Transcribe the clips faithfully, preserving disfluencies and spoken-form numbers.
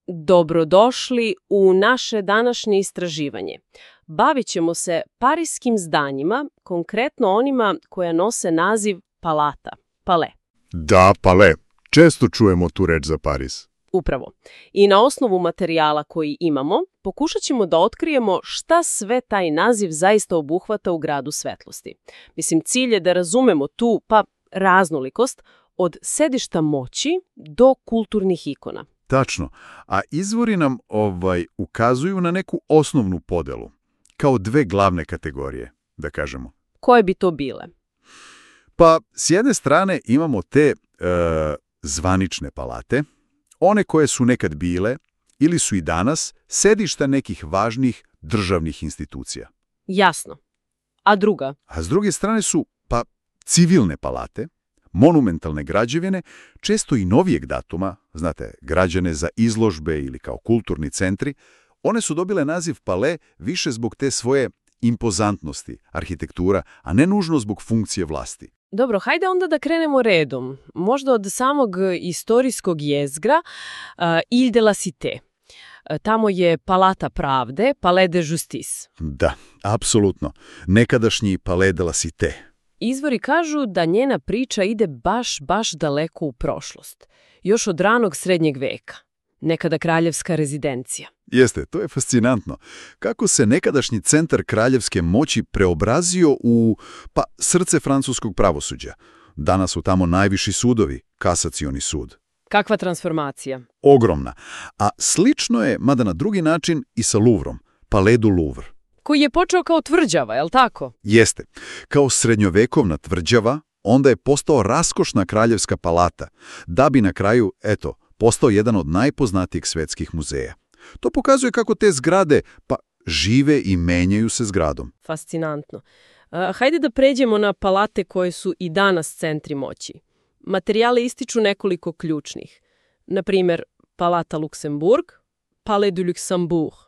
Dobrodošli u naše današnje istraživanje. Bavit ćemo se pariskim zdanjima, konkretno onima koja nose naziv palata, palais. Da, palais. Često čujemo tu reč za Paris. Upravo. I na osnovu materijala koji imamo, pokušat ćemo da otkrijemo šta sve taj naziv zaista obuhvata u gradu svetlosti. Mislim, cilj je da razumemo tu, pa, raznolikost od sedišta moći do kulturnih ikona. Tačno. A izvori nam ovaj ukazuju na neku osnovnu podelu, kao dve glavne kategorije, da kažemo. Koje bi to bile? Pa, s jedne strane imamo te e, zvanične palate, one koje su nekad bile ili su i danas sedišta nekih važnih državnih institucija. Jasno. A druga? A s druge strane su, pa, civilne palate, monumentalne građevine, često i novijeg datuma, znate, građene za izložbe ili kao kulturni centri. One su dobile naziv palais više zbog te svoje impozantnosti, arhitektura, a ne nužno zbog funkcije vlasti. Dobro, hajde onda da krenemo redom. Možda od samog istorijskog jezgra uh, Ile de la Cité. Uh, tamo je Palata pravde, Palais de Justice. Da, apsolutno. Nekadašnji Palais de la Cité. Izvori kažu da njena priča ide baš, baš daleko u prošlost. Još od ranog srednjeg veka. Nekada kraljevska rezidencija. Jeste, to je fascinantno. Kako se nekadašnji centar kraljevske moći preobrazio u, pa, srce francuskog pravosuđa. Danas su tamo najviši sudovi, kasacioni sud. Kakva transformacija? Ogromna. A slično je, mada na drugi način, i sa Louvrom, Palais du Louvre. Koji je počeo kao tvrđava, je li tako? Jeste. Kao srednjovekovna tvrđava, onda je postao raskošna kraljevska palata, da bi na kraju, eto, postao jedan od najpoznatijih svetskih muzeja. To pokazuje kako te zgrade, pa, žive i menjaju se zgradom. Fascinantno. Uh, hajde da pređemo na palate koje su i danas centri moći. Materijale ističu nekoliko ključnih. Na primjer, Palata Luksemburg, Palais du Luxembourg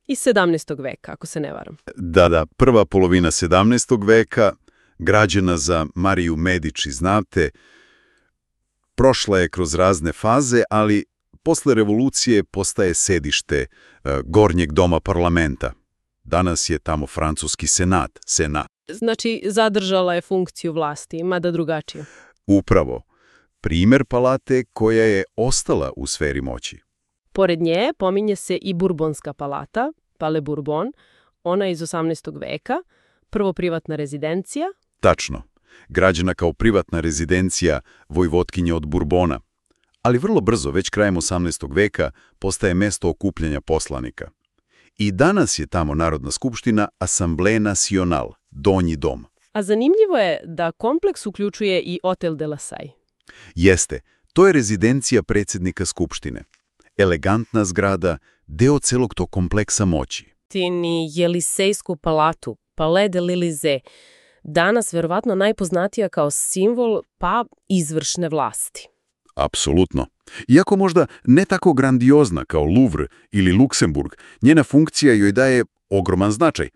iz sedamnaestog veka, ako se ne varam. Da, da, prva polovina sedamnaestog veka, građena za Mariju Medici, znate, prošla je kroz razne faze, ali posle revolucije postaje sedište uh, gornjeg doma parlamenta. Danas je tamo francuski senat, senat. Znači, zadržala je funkciju vlasti, mada drugačije. Upravo. Primer palate koja je ostala u sferi moći. Pored nje pominje se i Burbonska palata, Palais Bourbon, ona iz osamnaestog veka, prvo privatna rezidencija. Tačno. Građena kao privatna rezidencija vojvotkinje od Bourbona. Ali vrlo brzo, već krajem osamnaestog veka, postaje mesto okupljanja poslanika. I danas je tamo Narodna skupština Assemblée Nationale, donji dom. A zanimljivo je da kompleks uključuje i Hotel de la Salle. Jeste, to je rezidencija predsjednika skupštine. Elegantna zgrada, deo celog tog kompleksa moći. Ti ni Jelisejsku palatu, Palais de l'Élysée, danas verovatno najpoznatija kao simbol, pa, izvršne vlasti. Apsolutno. Iako možda ne tako grandiozna kao Louvre ili Luksemburg, njena funkcija joj daje ogroman značaj.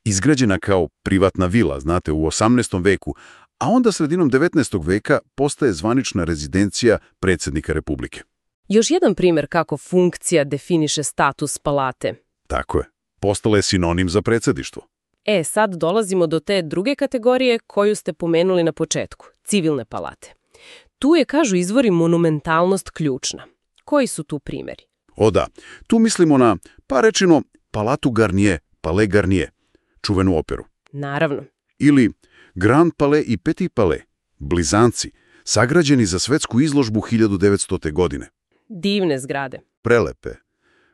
Izgrađena kao privatna vila, znate, u osamnaestom veku, a onda sredinom devetnaestog veka postaje zvanična rezidencija predsjednika Republike. Još jedan primjer kako funkcija definiše status palate. Tako je. Postala je sinonim za predsjedništvo. E, sad dolazimo do te druge kategorije koju ste pomenuli na početku, civilne palate. Tu je, kažu izvori, monumentalnost ključna. Koji su tu primjeri? O da, tu mislimo na, pa rečeno, Palatu Garnier, Palais Garnier, čuvenu operu. Naravno. Ili Grand Palais i Petit Palais, blizanci, sagrađeni za svetsku izložbu hiljadu devetstote. godine. Divne zgrade. Prelepe.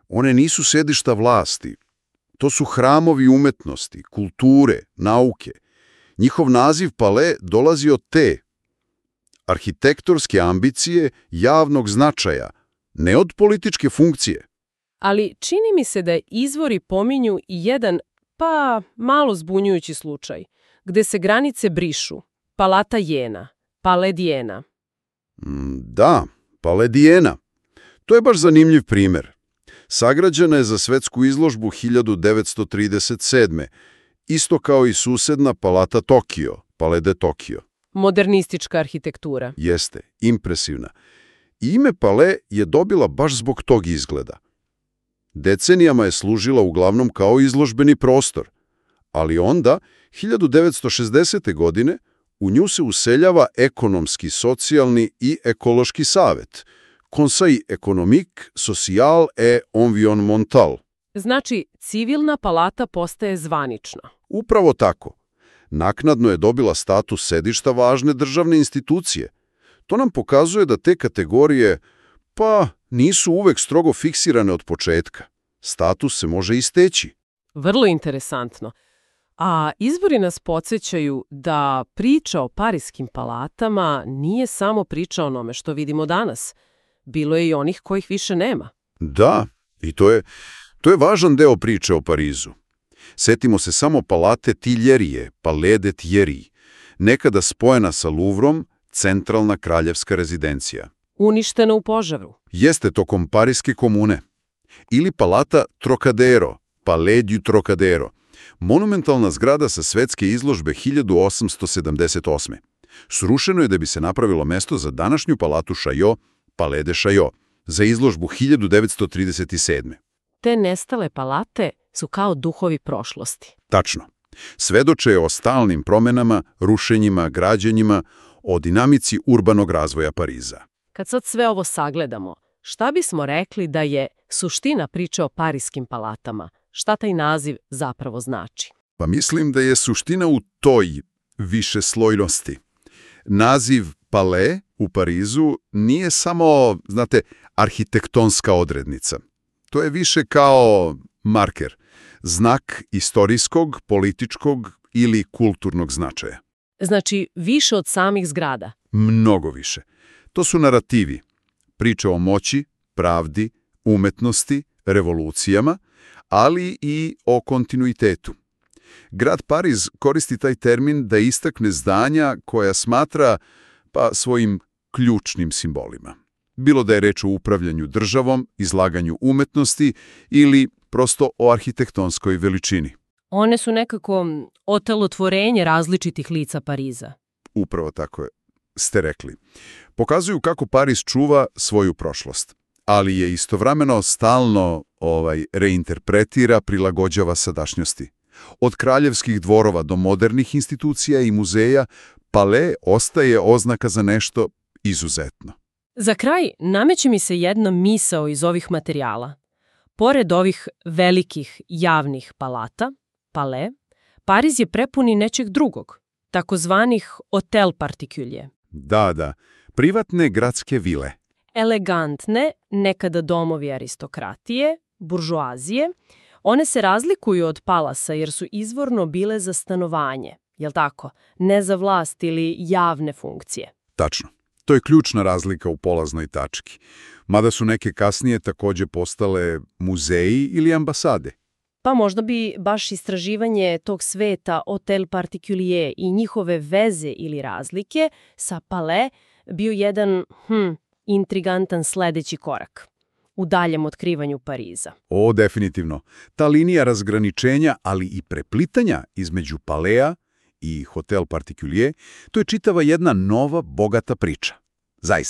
One nisu sedišta vlasti. To su hramovi umetnosti, kulture, nauke. Njihov naziv Palais dolazi od te arhitektorske ambicije javnog značaja, ne od političke funkcije. Ali čini mi se da izvori pominju i jedan, pa, malo zbunjujući slučaj, gde se granice brišu. Palata Jena, Palais d'Iéna. Mm, da, Palais d'Iéna. To je baš zanimljiv primjer. Sagrađena je za svetsku izložbu hiljadu devetsto trideset sedme. Isto kao i susedna Palata Tokio, Palais de Tokio. Modernistička arhitektura. Jeste, impresivna. Ime Palais je dobila baš zbog tog izgleda. Decenijama je služila uglavnom kao izložbeni prostor, ali onda, hiljadu devetsto šezdesete. godine, u nju se useljava ekonomski, socijalni i ekološki savet, Conseil économique, social et environnemental. Znači, civilna palata postaje zvanična. Upravo tako. Naknadno je dobila status sedišta važne državne institucije. To nam pokazuje da te kategorije, pa, nisu uvek strogo fiksirane od početka. Status se može isteći. Vrlo interesantno. A izvori nas podsjećaju da priča o pariskim palatama nije samo priča o onome što vidimo danas. Bilo je i onih kojih više nema. Da, i to je, to je važan deo priče o Parizu. Setimo se samo palate Tiljerije, Palais de Thierry, nekada spojena sa Louvrom, centralna kraljevska rezidencija. Uništena u požaru. Jeste tokom Pariske komune. Ili palata Trocadero, Palais du Trocadero, monumentalna zgrada sa svetske izložbe hiljadu osamsto sedamdeset osme. Srušeno je da bi se napravilo mesto za današnju palatu Chaillot, Palais de Chaillot, za izložbu hiljadu devetsto trideset sedme. Te nestale palate su kao duhovi prošlosti. Tačno. Svedoče o stalnim promenama, rušenjima, građenjima, o dinamici urbanog razvoja Pariza. Kad sad sve ovo sagledamo, šta bismo rekli da je suština priče o pariskim palatama? Šta taj naziv zapravo znači? Pa mislim da je suština u toj višeslojnosti. Naziv Palais u Parizu nije samo, znate, arhitektonska odrednica. To je više kao marker, znak istorijskog, političkog ili kulturnog značaja. Znači, više od samih zgrada. Mnogo više. To su narativi, priče o moći, pravdi, umetnosti, revolucijama, ali i o kontinuitetu. Grad Pariz koristi taj termin da istakne zdanja koja smatra pa svojim ključnim simbolima. Bilo da je reč o upravljanju državom, izlaganju umetnosti ili prosto o arhitektonskoj veličini. One su nekako otelotvorenje različitih lica Pariza. Upravo tako je, ste rekli. Pokazuju kako Pariz čuva svoju prošlost, ali je istovremeno stalno ovaj, reinterpretira, prilagođava sadašnjosti. Od kraljevskih dvorova do modernih institucija i muzeja, Palais ostaje oznaka za nešto izuzetno. Za kraj nameće mi se jedna misao iz ovih materijala. Pored ovih velikih javnih palata, Palais, Pariz je prepuni nečeg drugog, takozvanih hotel particulier. Da, da, privatne gradske vile. Elegantne, nekada domovi aristokratije, buržoazije, one se razlikuju od palasa jer su izvorno bile za stanovanje, jel tako? Ne za vlast ili javne funkcije. Tačno. To je ključna razlika u polaznoj tački. Mada su neke kasnije također postale muzeji ili ambasade. Pa možda bi baš istraživanje tog sveta hotel particulier i njihove veze ili razlike sa Palais bio jedan hm, intrigantan sledeći korak u daljem otkrivanju Pariza. O, definitivno. Ta linija razgraničenja, ali i preplitanja između Palais i hotel particulier, to je čitava jedna nova, bogata priča. Zaista.